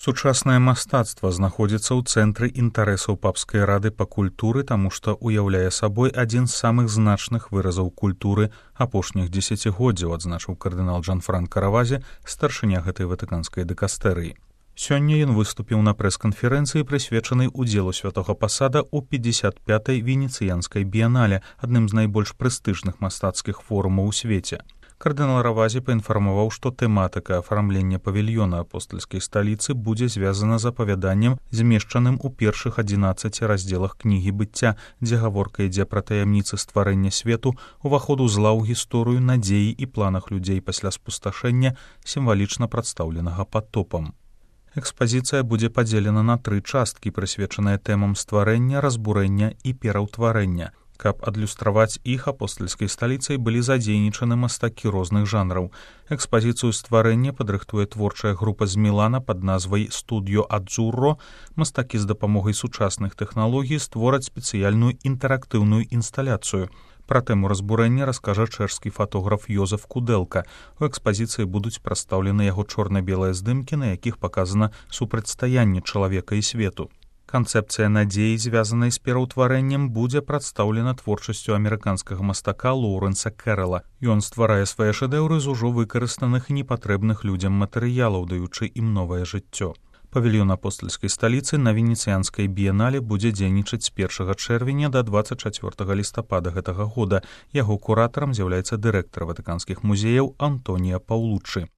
Сучаснае мастацтва знаходзіцца ў цэнтры інтарэсаў папскай рады па культуры, таму што ўяўляе сабой адзін з самых значных выразаў культуры апошніх дзесяцігоддзяў, адзначыў кардынал Джанфранка Равазе, старшыня гэтай ватыканскай дыкастэрыі. Сёння ён выступіў на прэс-канферэнцыі, прысвечанай удзелу святога пасада ў 55-й венецыянскай біянале, адным з найбольш прэстыжных мастацкіх форумаў у свеце. Кардынал Равазе паінфармаваў, што тэматыка афармлення павільёна апостальскай сталіцы будзе звязана з апавяданнем, змешчаным у першых 11 раздзелах кнігі быцця, дзе гаворка ідзе пра таямніцы стварэння свету, уваходу зла ў гісторыю, надзеі і планах людзей пасля спусташэння, сімвалічна прадстаўленага патопам. Экспазіцыя будзе падзелена на 3 часткі, прысвечаныя тэмам стварэння, разбурэння і пераўтварэння. Каб адлюстраваць іх, апостальскай сталіцай былі задзейнічаны мастакі розных жанраў. Экспазіцыю стварэння падрыхтуе творчая група з Мілана пад назвай «Студіо Адзурро». Мастакі з дапамогай сучасных тэхналогій створаць спецыяльную інтэрактыўную інсталяцыю. Пра тэму разбурэння раскажа чэшскі фотограф Йозеф Кудэлка. У экспазіцыі будуць прадстаўлены яго чорна-белыя здымкі, на якіх паказана супрацьстаянне чалавека і свету. Канцэпцыя надзеі, звязанай з пераўтварэннем, будзе прадстаўлена творчасцю амерыканскага мастака Лоурэнса Кэррала. Ён стварае свае шэдэўры з ужо выкарыстаных і непатрэбных людзям матэрыялаў, даючы ім новае жыццё. Павільён апостальскай сталіцы на венецыянскай біянале будзе дзейнічаць з 1 чэрвеня да 24 лістапада гэтага года. Яго куратарам з'яўляецца дырэктар ватыканскіх музеяў Антонія Паўлуччы.